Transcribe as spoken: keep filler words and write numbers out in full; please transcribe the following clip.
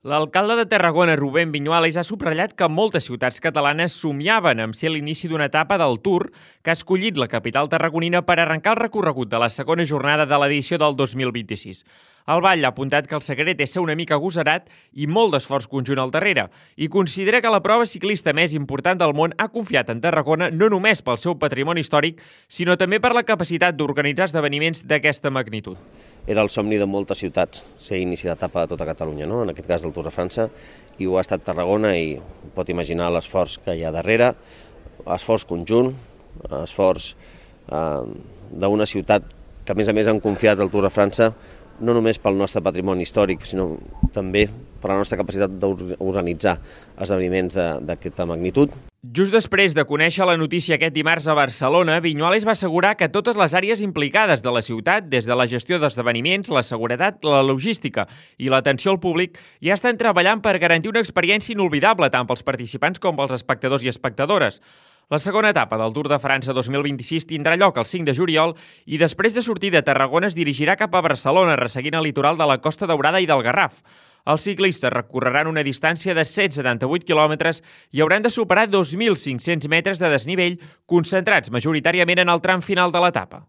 L'alcalde de Tarragona, Rubén Viñuales, ha subratllat que moltes ciutats catalanes somiaven amb ser l'inici d'una etapa del Tour que ha escollit la capital tarragonina per arrencar el recorregut de la segona jornada de l'edició del dos mil vint-i-sis. El Vall ha apuntat que el secret és ser una mica agosarat i molt d'esforç conjunt al darrere i considera que la prova ciclista més important del món ha confiat en Tarragona no només pel seu patrimoni històric, sinó també per la capacitat d'organitzar esdeveniments d'aquesta magnitud. Era el somni de moltes ciutats, ser inici d'etapa de tota Catalunya, no? En aquest cas del Tour de França, i ho ha estat Tarragona i pot imaginar l'esforç que hi ha darrere, esforç conjunt, esforç eh, d'una ciutat que a més a més han confiat al Tour de França no només pel nostre patrimoni històric, sinó també per la nostra capacitat d'organitzar esdeveniments d'aquesta magnitud. Just després de conèixer la notícia aquest dimarts a Barcelona, Viñuales va assegurar que totes les àrees implicades de la ciutat, des de la gestió d'esdeveniments, la seguretat, la logística i l'atenció al públic, ja estan treballant per garantir una experiència inolvidable tant pels participants com pels espectadors i espectadores. La segona etapa del Tour de França dos mil vint-i-sis tindrà lloc el cinc de juliol i després de sortir de Tarragona es dirigirà cap a Barcelona, resseguint el litoral de la Costa Daurada i del Garraf. Els ciclistes recorreran una distància de cent setanta-vuit quilòmetres i hauran de superar dos mil cinc-cents metres de desnivell, concentrats majoritàriament en el tram final de l'etapa.